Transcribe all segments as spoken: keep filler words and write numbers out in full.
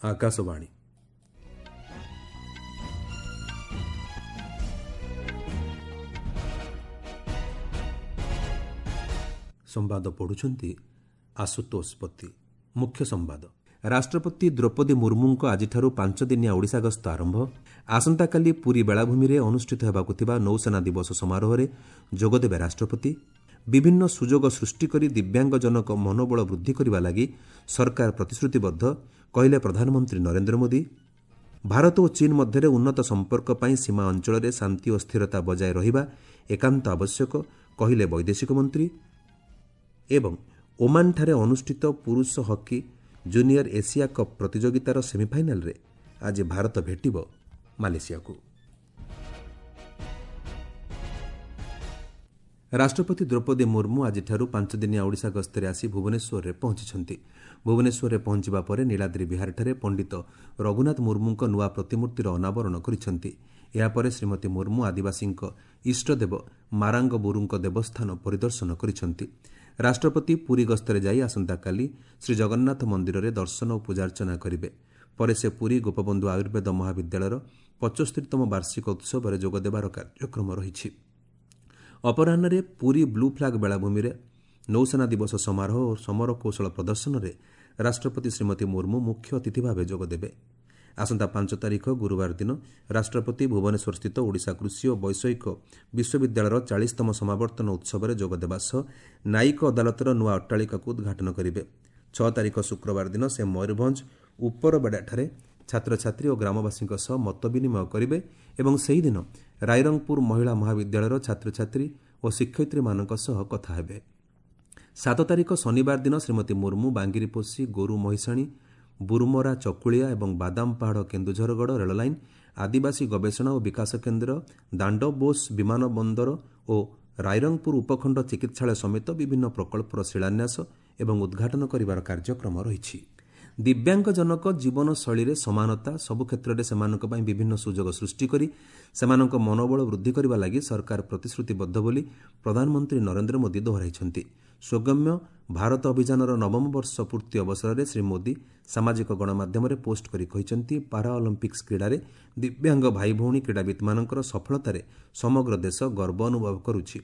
ଆକାଶବାଣୀ। ସମ୍ବାଦ ପଢ଼ୁଛନ୍ତି ଆଶୁତୋଷ ପତି। ମୁଖ୍ୟ ସମ୍ବାଦ। ରାଷ୍ଟ୍ରପତି ଦ୍ରୌପଦୀ ମୁର୍ମୁଙ୍କ ଆଜିଠାରୁ ପାଞ୍ଚଦିନିଆ ଓଡ଼ିଶା ଗସ୍ତ ଆରମ୍ଭ। ଆସନ୍ତାକାଲି ପୁରୀ ବେଳାଭୂମିରେ ଅନୁଷ୍ଠିତ ହେବାକୁ ଥିବା ନୌସେନା ଦିବସ ସମାରୋହରେ ଯୋଗଦେବେ ରାଷ୍ଟ୍ରପତି। ବିଭିନ୍ନ ସୁଯୋଗ ସୃଷ୍ଟି କରି ଦିବ୍ୟାଙ୍ଗଜନଙ୍କ ମନୋବଳ ବୃଦ୍ଧି କରିବା ଲାଗି ସରକାର ପ୍ରତିଶ୍ରୁତିବଦ୍ଧ, କହିଲେ ପ୍ରଧାନମନ୍ତ୍ରୀ ନରେନ୍ଦ୍ର ମୋଦି। ଭାରତ ଓ ଚୀନ୍ ମଧ୍ୟରେ ଉନ୍ନତ ସମ୍ପର୍କ ପାଇଁ ସୀମା ଅଞ୍ଚଳରେ ଶାନ୍ତି ଓ ସ୍ଥିରତା ବଜାୟ ରହିବା ଏକାନ୍ତ ଆବଶ୍ୟକ, କହିଲେ ବୈଦେଶିକ ମନ୍ତ୍ରୀ। ଏବଂ ଓମାନଠାରେ ଅନୁଷ୍ଠିତ ପୁରୁଷ ହକି ଜୁନିୟର ଏସିଆ କପ୍ ପ୍ରତିଯୋଗିତାର ସେମିଫାଇନାଲରେ ଆଜି ଭାରତ ଭେଟିବ ମାଲେସିଆକୁ। ରାଷ୍ଟ୍ରପତି ଦ୍ରୌପଦୀ ମୁର୍ମୁ ଆଜିଠାରୁ ପାଞ୍ଚଦିନିଆ ଓଡ଼ିଶା ଗସ୍ତରେ ଆସି ଭୁବନେଶ୍ୱରରେ ପହଞ୍ଚିଛନ୍ତି। ଭୁବନେଶ୍ୱରରେ ପହଞ୍ଚିବା ପରେ ନୀଳାଦ୍ରି ବିହାରଠାରେ ପଣ୍ଡିତ ରଘୁନାଥ ମୁର୍ମୁଙ୍କ ନୂଆ ପ୍ରତିମୂର୍ତ୍ତିର ଅନାବରଣ କରିଛନ୍ତି। ଏହାପରେ ଶ୍ରୀମତୀ ମୁର୍ମୁ ଆଦିବାସୀଙ୍କ ଇଷ୍ଟଦେବ ମାରାଙ୍ଗବୁରୁଙ୍କ ଦେବସ୍ଥାନ ପରିଦର୍ଶନ କରିଛନ୍ତି। ରାଷ୍ଟ୍ରପତି ପୁରୀ ଗସ୍ତରେ ଯାଇ ଆସନ୍ତାକାଲି ଶ୍ରୀଜଗନ୍ନାଥ ମନ୍ଦିରରେ ଦର୍ଶନ ଓ ପୂଜାର୍ଚ୍ଚନା କରିବେ। ପରେ ସେ ପୁରୀ ଗୋପବନ୍ଧୁ ଆୟୁର୍ବେଦ ମହାବିଦ୍ୟାଳୟର ପଞ୍ଚସ୍ତରୀତମ ବାର୍ଷିକ ଉତ୍ସବରେ ଯୋଗଦେବାର କାର୍ଯ୍ୟକ୍ରମ ରହିଛି। ଅପରାହ୍ନରେ ପୁରୀ ବ୍ଲୁ ଫ୍ଲାଗ୍ ବେଳାଭୂମିରେ ନୌସେନା ଦିବସ ସମାରୋହ ଓ ସମର କୌଶଳ ପ୍ରଦର୍ଶନରେ ରାଷ୍ଟ୍ରପତି ଶ୍ରୀମତୀ ମୁର୍ମୁ ମୁଖ୍ୟ ଅତିଥି ଭାବେ ଯୋଗଦେବେ। ଆସନ୍ତା ପାଞ୍ଚ ତାରିଖ ଗୁରୁବାର ଦିନ ରାଷ୍ଟ୍ରପତି ଭୁବନେଶ୍ୱରସ୍ଥିତ ଓଡ଼ିଶା କୃଷି ଓ ବୈଷୟିକ ବିଶ୍ୱବିଦ୍ୟାଳୟର ଚାଳିଶତମ ସମାବର୍ତ୍ତନ ଉତ୍ସବରେ ଯୋଗଦେବା ସହ ନ୍ୟାୟିକ ଅଦାଲତର ନୂଆ ଅଟ୍ଟାଳିକାକୁ ଉଦ୍ଘାଟନ କରିବେ। ଛଅ ତାରିଖ ଶୁକ୍ରବାର ଦିନ ସେ ମୟୂରଭଞ୍ଜ ଉପରବେଡ଼ାଠାରେ ଛାତ୍ରଛାତ୍ରୀ ଓ ଗ୍ରାମବାସୀଙ୍କ ସହ ମତ ବିନିମୟ କରିବେ ଏବଂ ସେହିଦିନ ରାଇରଙ୍ଗପୁର ମହିଳା ମହାବିଦ୍ୟାଳୟର ଛାତ୍ରଛାତ୍ରୀ ଓ ଶିକ୍ଷୟିତ୍ରୀମାନଙ୍କ ସହ କଥା ହେବେ। ସାତ ତାରିଖ ଶନିବାର ଦିନ ଶ୍ରୀମତୀ ମୁର୍ମୁ ବାଙ୍ଗିରିପୋଷି, ଗୋରୁ ମହିଷାଣୀ, ବୁରୁମରା ଚକୁଳିଆ ଏବଂ ବାଦାମ ପାହାଡ଼ କେନ୍ଦୁଝରଗଡ଼ ରେଳଲାଇନ୍, ଆଦିବାସୀ ଗବେଷଣା ଓ ବିକାଶ କେନ୍ଦ୍ର, ଦାଣ୍ଡବୋଷ ବିମାନ ବନ୍ଦର ଓ ରାଇରଙ୍ଗପୁର ଉପଖଣ୍ଡ ଚିକିତ୍ସାଳୟ ସମେତ ବିଭିନ୍ନ ପ୍ରକଳ୍ପର ଶିଳାନ୍ୟାସ ଏବଂ ଉଦ୍ଘାଟନ କରିବାର କାର୍ଯ୍ୟକ୍ରମ ରହିଛି। ଦିବ୍ୟାଙ୍ଗଜନକ ଜୀବନଶୈଳୀରେ ସମାନତା, ସବୁ କ୍ଷେତ୍ରରେ ସେମାନଙ୍କ ପାଇଁ ବିଭିନ୍ନ ସୁଯୋଗ ସୃଷ୍ଟି କରି ସେମାନଙ୍କ ମନୋବଳ ବୃଦ୍ଧି କରିବା ଲାଗି ସରକାର ପ୍ରତିଶ୍ରୁତିବଦ୍ଧ ବୋଲି ପ୍ରଧାନମନ୍ତ୍ରୀ ନରେନ୍ଦ୍ର ମୋଦି ଦୋହରାଇଛନ୍ତି। ସୁଗମ୍ୟ ଭାରତ ଅଭିଯାନର ନବମ ବର୍ଷ ପୂର୍ତ୍ତି ଅବସରରେ ଶ୍ରୀ ମୋଦି ସାମାଜିକ ଗଣମାଧ୍ୟମରେ ପୋଷ୍ଟ କରି କହିଛନ୍ତି, ପାରା ଅଲିମ୍ପିକ୍ସ କ୍ରୀଡ଼ାରେ ଦିବ୍ୟାଙ୍ଗ ଭାଇଭଉଣୀ କ୍ରୀଡ଼ାବିତ୍ମାନଙ୍କର ସଫଳତାରେ ସମଗ୍ର ଦେଶ ଗର୍ବ ଅନୁଭବ କରୁଛି।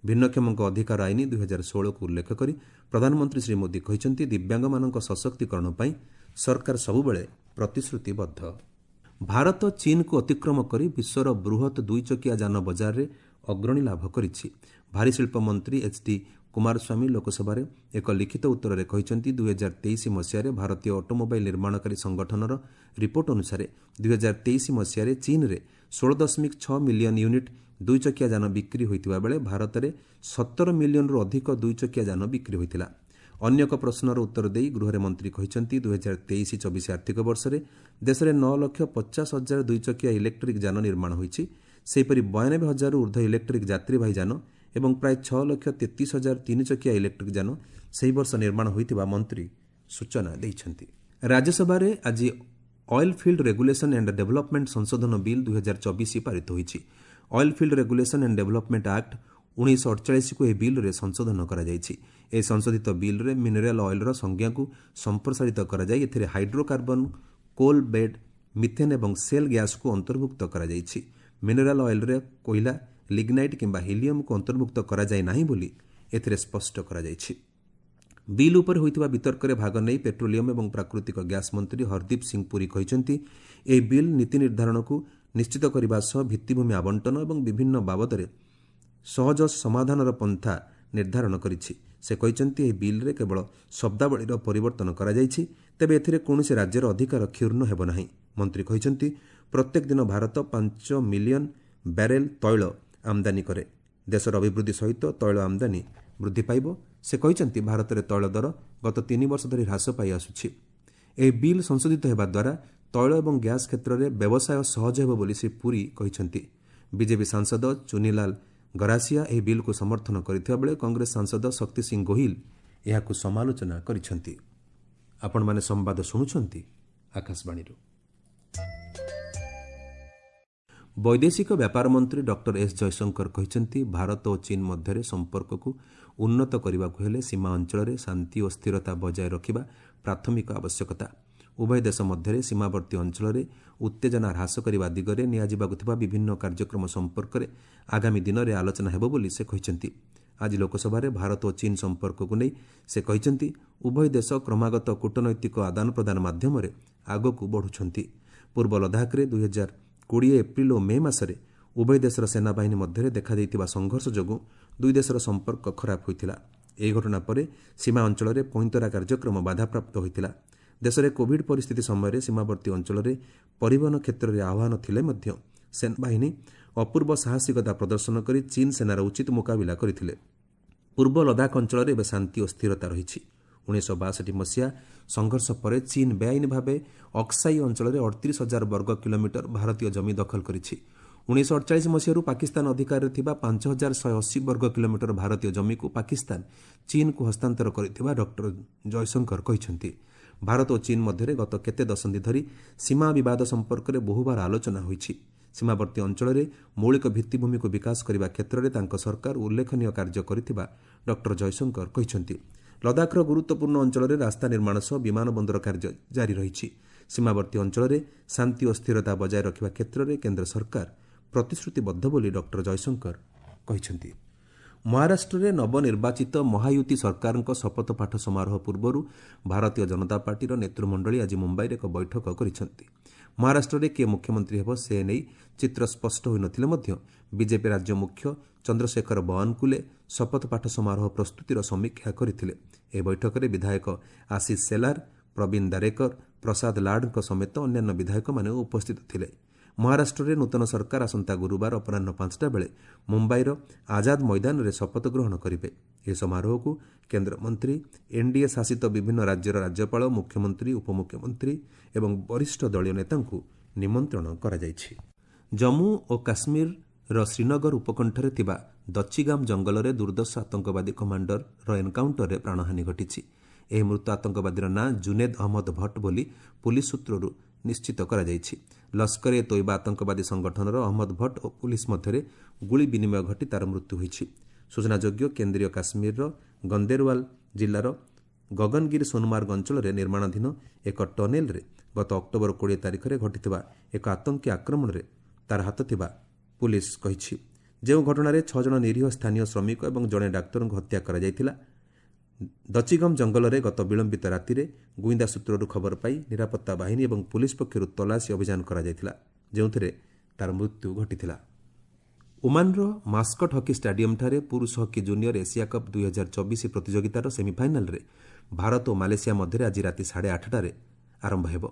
ଭିନ୍ନକ୍ଷମଙ୍କ ଅଧିକାର ଆଇନ ଦୁଇହଜାର ଷୋହଳକୁ ଉଲ୍ଲେଖ କରି ପ୍ରଧାନମନ୍ତ୍ରୀ ଶ୍ରୀ ମୋଦି କହିଛନ୍ତି, ଦିବ୍ୟାଙ୍ଗମାନଙ୍କ ସଶକ୍ତିକରଣ ପାଇଁ ସରକାର ସବୁବେଳେ ପ୍ରତିଶ୍ରୁତିବଦ୍ଧ। ଭାରତ ଚୀନ୍କୁ ଅତିକ୍ରମ କରି ବିଶ୍ୱର ବୃହତ୍ ଦୁଇଚକିଆ ଯାନ ବଜାରରେ ଅଗ୍ରଣୀ ଲାଭ କରିଛି। ଭାରୀ ଶିଳ୍ପ ମନ୍ତ୍ରୀ ଏଚ୍ ଡି କୁମାରସ୍ୱାମୀ ଲୋକସଭାରେ ଏକ ଲିଖିତ ଉତ୍ତରରେ କହିଛନ୍ତି, ଦୁଇହଜାର ତେଇଶ ମସିହାରେ ଭାରତୀୟ ଅଟୋମୋବାଇଲ୍ ନିର୍ମାଣକାରୀ ସଂଗଠନର ରିପୋର୍ଟ ଅନୁସାରେ ଦୁଇହଜାର ତେଇଶ ମସିହାରେ ଚୀନ୍ରେ ଷୋହଳ ଦଶମିକ ଛଅ ମିଲିୟନ୍ ୟୁନିଟ୍ ଦୁଇଚକିଆ ଯାନ ବିକ୍ରି ହୋଇଥିବା ବେଳେ ଭାରତରେ ସତର ମିଲିୟନରୁ ଅଧିକ ଦୁଇଚକିଆ ଯାନ ବିକ୍ରି ହୋଇଥିଲା। ଅନ୍ୟ ଏକ ପ୍ରଶ୍ନର ଉତ୍ତର ଦେଇ ଗୃହରେ ମନ୍ତ୍ରୀ କହିଛନ୍ତି, ଦୁଇହଜାର ତେଇଶ ଚବିଶ ଆର୍ଥିକ ବର୍ଷରେ ଦେଶରେ ନଅ ଲକ୍ଷ ପଚାଶ ହଜାର ଦୁଇଚକିଆ ଇଲେକ୍ଟ୍ରିକ୍ ଯାନ ନିର୍ମାଣ ହୋଇଛି। ସେହିପରି ବୟାନବେ ହଜାରରୁ ଉର୍ଦ୍ଧ୍ୱ ଇଲେକ୍ଟ୍ରିକ୍ ଯାତ୍ରୀବାହୀ ଯାନ ଏବଂ ପ୍ରାୟ ଛଅ ଲକ୍ଷ ତେତିଶ ହଜାର ତିନିଚକିଆ ଇଲେକ୍ଟ୍ରିକ୍ ଯାନ ସେହି ବର୍ଷ ନିର୍ମାଣ ହୋଇଥିବା ମନ୍ତ୍ରୀ ସୂଚନା ଦେଇଛନ୍ତି। ରାଜ୍ୟସଭାରେ ଆଜି oil field regulation and development ସଂଶୋଧନ ବିଲ୍ ଦୁଇହଜାର ଚବିଶ ପାରିତ ହୋଇଛି। Oil field regulation and development act ଉଣେଇଶହ ଅଠଚାଳିଶକୁ ଏହି ବିଲ୍ରେ ସଂଶୋଧନ କରାଯାଇଛି। ଏହି ସଂଶୋଧିତ ବିଲ୍ରେ ମିନେରାଲ୍ ଅଏଲ୍ର ସଂଜ୍ଞାକୁ ସମ୍ପ୍ରସାରିତ କରାଯାଇ ଏଥିରେ ହାଇଡ୍ରୋକାର୍ବନ୍, କୋଲ୍ ବେଡ୍, ମିଥେନ୍ ଏବଂ ସେଲ୍ ଗ୍ୟାସ୍କୁ ଅନ୍ତର୍ଭୁକ୍ତ କରାଯାଇଛି। ମିନେରାଲ୍ ଅଏଲ୍ରେ କୋଇଲା, ଲିଗ୍ନାଇଟ୍ କିମ୍ବା ହିଲିୟମ୍କୁ ଅନ୍ତର୍ଭୁକ୍ତ କରାଯାଇ ନାହିଁ ବୋଲି ଏଥିରେ ସ୍ପଷ୍ଟ କରାଯାଇଛି। ବିଲ୍ ଉପରେ ହୋଇଥିବା ବିତର୍କରେ ଭାଗ ନେଇ ପେଟ୍ରୋଲିୟମ୍ ଏବଂ ପ୍ରାକୃତିକ ଗ୍ୟାସ୍ ମନ୍ତ୍ରୀ ହରଦୀପ ସିଂ ପୁରୀ କହିଛନ୍ତି, ଏହି ବିଲ୍ ନୀତି ନିର୍ଦ୍ଧାରଣକୁ ନିଶ୍ଚିତ କରିବା ସହ ଭିତ୍ତିଭୂମି ଆବଣ୍ଟନ ଏବଂ ବିଭିନ୍ନ ବାବଦରେ ସହଜ ସମାଧାନର ପନ୍ଥା ନିର୍ଦ୍ଧାରଣ କରିଛି। ସେ କହିଛନ୍ତି, ଏହି ବିଲ୍ରେ କେବଳ ଶବ୍ଦାବଳୀର ପରିବର୍ତ୍ତନ କରାଯାଇଛି, ତେବେ ଏଥିରେ କୌଣସି ରାଜ୍ୟର ଅଧିକାର କ୍ଷୁଣ୍ଣ ହେବ ନାହିଁ। ମନ୍ତ୍ରୀ କହିଛନ୍ତି, ପ୍ରତ୍ୟେକ ଦିନ ଭାରତ ପାଞ୍ଚ ମିଲିୟନ୍ ବ୍ୟାରେଲ୍ ତୈଳ ଆମଦାନୀ କରେ। ଦେଶର ଅଭିବୃଦ୍ଧି ସହିତ ତୈଳ ଆମଦାନୀ ବୃଦ୍ଧି ପାଇବ। ସେ କହିଛନ୍ତି, ଭାରତରେ ତୈଳ ଦର ଗତ ତିନି ବର୍ଷ ଧରି ହ୍ରାସ ପାଇ ଆସୁଛି। ଏହି ବିଲ୍ ସଂଶୋଧିତ ହେବା ଦ୍ୱାରା ତୈଳ ଏବଂ ଗ୍ୟାସ୍ କ୍ଷେତ୍ରରେ ବ୍ୟବସାୟ ସହଜ ହେବ ବୋଲି ଶ୍ରୀ ପୁରୀ କହିଛନ୍ତି। ବିଜେପି ସାଂସଦ ଚୁନିଲାଲ ଗରାସିଆ ଏହି ବିଲ୍କୁ ସମର୍ଥନ କରିଥିବା ବେଳେ କଂଗ୍ରେସ ସାଂସଦ ଶକ୍ତି ସିଂ ଗୋହିଲ ଏହାକୁ ସମାଲୋଚନା କରିଛନ୍ତି। ଆପଣମାନେ ସମ୍ବାଦ ଶୁଣୁଛନ୍ତି ଆକାଶବାଣୀରୁ। ବୈଦେଶିକ ବ୍ୟାପାର ମନ୍ତ୍ରୀ ଡକ୍ଟର ଏସ୍ ଜୟଶଙ୍କର କହିଛନ୍ତି, ଭାରତ ଓ ଚୀନ୍ ମଧ୍ୟରେ ସମ୍ପର୍କକୁ ଉନ୍ନତ କରିବାକୁ ହେଲେ ସୀମା ଅଞ୍ଚଳରେ ଶାନ୍ତି ଓ ସ୍ଥିରତା ବଜାୟ ରଖିବା ପ୍ରାଥମିକ ଆବଶ୍ୟକତା। ଉଭୟ ଦେଶ ମଧ୍ୟରେ ସୀମାବର୍ତ୍ତୀ ଅଞ୍ଚଳରେ ଉତ୍ତେଜନା ହ୍ରାସ କରିବା ଦିଗରେ ନିଆଯିବାକୁ ଥିବା ବିଭିନ୍ନ କାର୍ଯ୍ୟକ୍ରମ ସମ୍ପର୍କରେ ଆଗାମୀ ଦିନରେ ଆଲୋଚନା ହେବ ବୋଲି ସେ କହିଛନ୍ତି। ଆଜି ଲୋକସଭାରେ ଭାରତ ଓ ଚୀନ୍ ସମ୍ପର୍କକୁ ନେଇ ସେ କହିଛନ୍ତି, ଉଭୟ ଦେଶ କ୍ରମାଗତ କୂଟନୈତିକ ଆଦାନ ପ୍ରଦାନ ମାଧ୍ୟମରେ ଆଗକୁ ବଢ଼ୁଛନ୍ତି। ପୂର୍ବ ଲଦାଖରେ ଦୁଇହଜାର କୋଡ଼ିଏ ଏପ୍ରିଲ ଓ ମେ ମାସରେ ଉଭୟ ଦେଶର ସେନାବାହିନୀ ମଧ୍ୟରେ ଦେଖାଦେଇଥିବା ସଂଘର୍ଷ ଯୋଗୁଁ ଦୁଇ ଦେଶର ସମ୍ପର୍କ ଖରାପ ହୋଇଥିଲା। ଏହି ଘଟଣା ପରେ ସୀମା ଅଞ୍ଚଳରେ ପଇନ୍ତରା କାର୍ଯ୍ୟକ୍ରମ ବାଧାପ୍ରାପ୍ତ ହୋଇଥିଲା। ଦେଶରେ କୋଭିଡ୍ ପରିସ୍ଥିତି ସମୟରେ ସୀମାବର୍ତ୍ତୀ ଅଞ୍ଚଳରେ ପରିବହନ କ୍ଷେତ୍ରରେ ଆହ୍ୱାନ ଥିଲେ ମଧ୍ୟ ସେନାବାହିନୀ ଅପୂର୍ବ ସାହସିକତା ପ୍ରଦର୍ଶନ କରି ଚୀନ୍ ସେନାର ଉଚିତ ମୁକାବିଲା କରିଥିଲେ। ପୂର୍ବ ଲଦାଖ ଅଞ୍ଚଳରେ ଏବେ ଶାନ୍ତି ଓ ସ୍ଥିରତା ରହିଛି। ଉଣେଇଶହ ବାଷଠି ମସିହା ସଂଘର୍ଷ ପରେ ଚୀନ୍ ବେଆଇନ ଭାବେ ଅକ୍ସାଇ ଅଞ୍ଚଳରେ ଅଠତିରିଶ ହଜାର ବର୍ଗ କିଲୋମିଟର ଭାରତୀୟ ଜମି ଦଖଲ କରିଛି। ଉଣେଇଶହ ଅଠଚାଳିଶ ମସିହାରୁ ପାକିସ୍ତାନ ଅଧିକାରରେ ଥିବା ପାଞ୍ଚ ହଜାର ଶହେ ଅଶୀ ବର୍ଗ କିଲୋମିଟର ଭାରତୀୟ ଜମିକୁ ପାକିସ୍ତାନ ଚୀନ୍କୁ ହସ୍ତାନ୍ତର କରିଥିବା ଡକ୍ଟର ଜୟଶଙ୍କର କହିଛନ୍ତି। ଭାରତ ଓ ଚୀନ୍ ମଧ୍ୟରେ ଗତ କେତେ ଦଶନ୍ଧି ଧରି ସୀମା ବିବାଦ ସମ୍ପର୍କରେ ବହୁବାର ଆଲୋଚନା ହୋଇଛି। ସୀମାବର୍ତ୍ତୀ ଅଞ୍ଚଳରେ ମୌଳିକ ଭିତ୍ତିଭୂମିକୁ ବିକାଶ କରିବା କ୍ଷେତ୍ରରେ ତାଙ୍କ ସରକାର ଉଲ୍ଲେଖନୀୟ କାର୍ଯ୍ୟ କରିଥିବା ଡକ୍ଟର ଜୟଶଙ୍କର କହିଛନ୍ତି। ଲଦାଖର ଗୁରୁତ୍ୱପୂର୍ଣ୍ଣ ଅଞ୍ଚଳରେ ରାସ୍ତା ନିର୍ମାଣ ସହ ବିମାନ ବନ୍ଦର କାର୍ଯ୍ୟ ଜାରି ରହିଛି। ସୀମାବର୍ତ୍ତୀ ଅଞ୍ଚଳରେ ଶାନ୍ତି ଓ ସ୍ଥିରତା ବଜାୟ ରଖିବା କ୍ଷେତ୍ରରେ କେନ୍ଦ୍ର ସରକାର ପ୍ରତିଶ୍ରୁତିବଦ୍ଧ ବୋଲି ଡକ୍ଟର ଜୟଶଙ୍କର କହିଛନ୍ତି। ମହାରାଷ୍ଟ୍ରରେ ନବନିର୍ବାଚିତ ମହାୟୁତି ସରକାରଙ୍କ ଶପଥପାଠ ସମାରୋହ ପୂର୍ବରୁ ଭାରତୀୟ ଜନତା ପାର୍ଟିର ନେତୃମଣ୍ଡଳୀ ଆଜି ମୁମ୍ବାଇରେ ଏକ ବୈଠକ କରିଛନ୍ତି। ମହାରାଷ୍ଟ୍ରରେ କିଏ ମୁଖ୍ୟମନ୍ତ୍ରୀ ହେବ ସେ ନେଇ ଚିତ୍ର ସ୍ପଷ୍ଟ ହୋଇନଥିଲେ ମଧ୍ୟ ବିଜେପି ରାଜ୍ୟ ମୁଖ୍ୟ ଚନ୍ଦ୍ରଶେଖର ବୱାନକୁଲେ ଶପଥପାଠ ସମାରୋହ ପ୍ରସ୍ତୁତିର ସମୀକ୍ଷା କରିଥିଲେ। ଏହି ବୈଠକରେ ବିଧାୟକ ଆଶିଷ ସେଲାର, ପ୍ରବୀଣ ଦାରେକର, ପ୍ରସାଦ ଲାଡଙ୍କ ସମେତ ଅନ୍ୟାନ୍ୟ ବିଧାୟକମାନେ ଉପସ୍ଥିତ ଥିଲେ। ମହାରାଷ୍ଟ୍ରରେ ନୂତନ ସରକାର ଆସନ୍ତା ଗୁରୁବାର ଅପରାହ୍ନ ପାଞ୍ଚଟା ବେଳେ ମୁମ୍ବାଇର ଆଜାଦ ମଇଦାନରେ ଶପଥ ଗ୍ରହଣ କରିବେ। ଏହି ସମାରୋହକୁ କେନ୍ଦ୍ରମନ୍ତ୍ରୀ, ଏନ୍ଡିଏ ଶାସିତ ବିଭିନ୍ନ ରାଜ୍ୟର ରାଜ୍ୟପାଳ, ମୁଖ୍ୟମନ୍ତ୍ରୀ, ଉପମୁଖ୍ୟମନ୍ତ୍ରୀ ଏବଂ ବରିଷ୍ଠ ଦଳୀୟ ନେତାଙ୍କୁ ନିମନ୍ତ୍ରଣ କରାଯାଇଛି। ଜମ୍ମୁ ଓ କାଶ୍ମୀରର ଶ୍ରୀନଗର ଉପକଣ୍ଠରେ ଥିବା ଦଚିଗାମ ଜଙ୍ଗଲରେ ଦୁର୍ଦ୍ଦର୍ଶ ଆତଙ୍କବାଦୀ କମାଣ୍ଡରର ଏନ୍କାଉଣ୍ଟରରେ ପ୍ରାଣହାନି ଘଟିଛି। ଏହି ମୃତ ଆତଙ୍କବାଦୀର ନାଁ ଜୁନେଦ ଅହମ୍ମଦ ଭଟ୍ଟ ବୋଲି ପୁଲିସ୍ ସୂତ୍ରରୁ ନିଶ୍ଚିତ କରାଯାଇଛି। ଲସ୍କର ଏ ତୋଇବା ଆତଙ୍କବାଦୀ ସଂଗଠନର ଅହମ୍ମଦ ଭଟ୍ଟ ଓ ପୁଲିସ୍ ମଧ୍ୟରେ ଗୁଳି ବିନିମୟ ଘଟି ତାର ମୃତ୍ୟୁ ହୋଇଛି। ସୂଚନାଯୋଗ୍ୟ, କେନ୍ଦ୍ରୀୟ କାଶ୍ମୀରର ଗନ୍ଦେରୱାଲ ଜିଲ୍ଲାର ଗଗନଗିରି ସୋନମାର୍ଗ ଅଞ୍ଚଳରେ ନିର୍ମାଣାଧୀନ ଏକ ଟନେଲରେ ଗତ ଅକ୍ଟୋବର କୋଡ଼ିଏ ତାରିଖରେ ଘଟିଥିବା ଏକ ଆତଙ୍କୀ ଆକ୍ରମଣରେ ତାର ହାତ ଥିବା ପୁଲିସ୍ କହିଛି। ଯେଉଁ ଘଟଣାରେ ଛଅ ଜଣ ନିରୀହ ସ୍ଥାନୀୟ ଶ୍ରମିକ ଏବଂ ଜଣେ ଡାକ୍ତରଙ୍କୁ ହତ୍ୟା କରାଯାଇଥିଲା। ଦଚିଗମ ଜଙ୍ଗଲରେ ଗତ ବିଳମ୍ବିତ ରାତିରେ ଗୁଇନ୍ଦା ସୂତ୍ରରୁ ଖବର ପାଇ ନିରାପତ୍ତା ବାହିନୀ ଏବଂ ପୁଲିସ୍ ପକ୍ଷରୁ ତଲାସୀ ଅଭିଯାନ କରାଯାଇଥିଲା, ଯେଉଁଥିରେ ତାର ମୃତ୍ୟୁ ଘଟିଥିଲା। ଓମାନର ମାସ୍କଟ ହକି ଷ୍ଟାଡିୟମ୍ଠାରେ ପୁରୁଷ ହକି ଜୁନିୟର ଏସିଆ କପ୍ ଦୁଇହଜାର ଚବିଶ ପ୍ରତିଯୋଗିତାର ସେମିଫାଇନାଲ୍ରେ ଭାରତ ଓ ମାଲେସିଆ ମଧ୍ୟରେ ଆଜି ରାତି ସାଢ଼େ ଆଠଟାରେ ଆରମ୍ଭ ହେବ।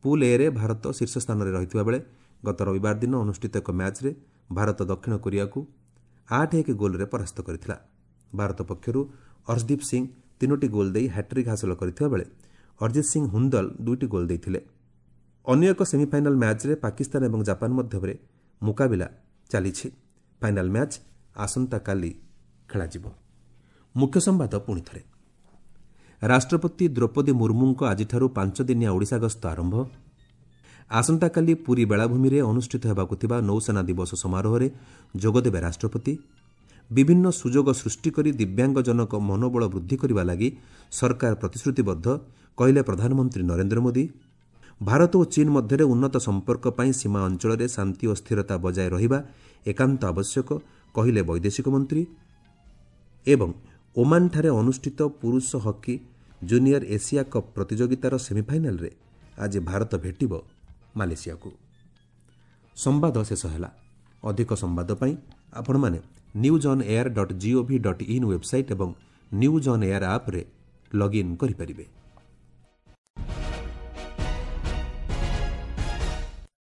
ପୁଲ୍ ଏରେ ଭାରତ ଶୀର୍ଷ ସ୍ଥାନରେ ରହିଥିବା ବେଳେ ଗତ ରବିବାର ଦିନ ଅନୁଷ୍ଠିତ ଏକ ମ୍ୟାଚ୍ରେ ଭାରତ ଦକ୍ଷିଣ କୋରିଆକୁ ଆଠ ଏକ ଗୋଲ୍ରେ ପରାସ୍ତ କରିଥିଲା। ଭାରତ ପକ୍ଷରୁ ଅର୍ଶଦୀପ ସିଂ ତିନୋଟି ଗୋଲ୍ ଦେଇ ହ୍ୟାଟ୍ରିକ୍ ହାସଲ କରିଥିବା ବେଳେ ଅରିଜିତ ସିଂ ହୁନ୍ଦଲ ଦୁଇଟି ଗୋଲ୍ ଦେଇଥିଲେ। ଅନ୍ୟ ଏକ ସେମିଫାଇନାଲ୍ ମ୍ୟାଚ୍ରେ ପାକିସ୍ତାନ ଏବଂ ଜାପାନ ମଧ୍ୟରେ ମୁକାବିଲା ଚାଲିଛି। ଫାଇନାଲ୍ ମ୍ୟାଚ୍ ଆସନ୍ତାକାଲି ଖେଳାଯିବ। ମୁଖ୍ୟ ସମ୍ବାଦ ପୁଣି ଥରେ। ରାଷ୍ଟ୍ରପତି ଦ୍ରୌପଦୀ ମୁର୍ମୁଙ୍କ ଆଜିଠାରୁ ପାଞ୍ଚ ଦିନିଆ ଓଡ଼ିଶା ଗସ୍ତ ଆରମ୍ଭ। ଆସନ୍ତାକାଲି ପୁରୀ ବେଳାଭୂମିରେ ଅନୁଷ୍ଠିତ ହେବାକୁ ଥିବା ନୌସେନା ଦିବସ ସମାରୋହରେ ଯୋଗଦେବେ ରାଷ୍ଟ୍ରପତି। ବିଭିନ୍ନ ସୁଯୋଗ ସୃଷ୍ଟି କରି ଦିବ୍ୟାଙ୍ଗଜନଙ୍କ ମନୋବଳ ବୃଦ୍ଧି କରିବା ଲାଗି ସରକାର ପ୍ରତିଶ୍ରୁତିବଦ୍ଧ, କହିଲେ ପ୍ରଧାନମନ୍ତ୍ରୀ ନରେନ୍ଦ୍ର ମୋଦି। ଭାରତ ଓ ଚୀନ୍ ମଧ୍ୟରେ ଉନ୍ନତ ସମ୍ପର୍କ ପାଇଁ ସୀମା ଅଞ୍ଚଳରେ ଶାନ୍ତି ଓ ସ୍ଥିରତା ବଜାୟ ରହିବା ଏକାନ୍ତ ଆବଶ୍ୟକ, କହିଲେ ବୈଦେଶିକ ମନ୍ତ୍ରୀ। ଏବଂ ଓମାନଠାରେ ଅନୁଷ୍ଠିତ ପୁରୁଷ ହକି ଜୁନିୟର ଏସିଆ କପ୍ ପ୍ରତିଯୋଗିତାର ସେମିଫାଇନାଲ୍ରେ ଆଜି ଭାରତ ଭେଟିବ ମାଲେସିଆକୁ। ସମ୍ବାଦ ଶେଷ ହେଲା। ଅଧିକ ସମ୍ବାଦ ପାଇଁ ଆପଣମାନେ news on air dot gov dot in website ଏବଂ ନ୍ୟୁଜ୍ ଅନ୍ ଏୟାର ଆପ୍ରେ ଲଗ୍ଇନ୍ କରିପାରିବେ।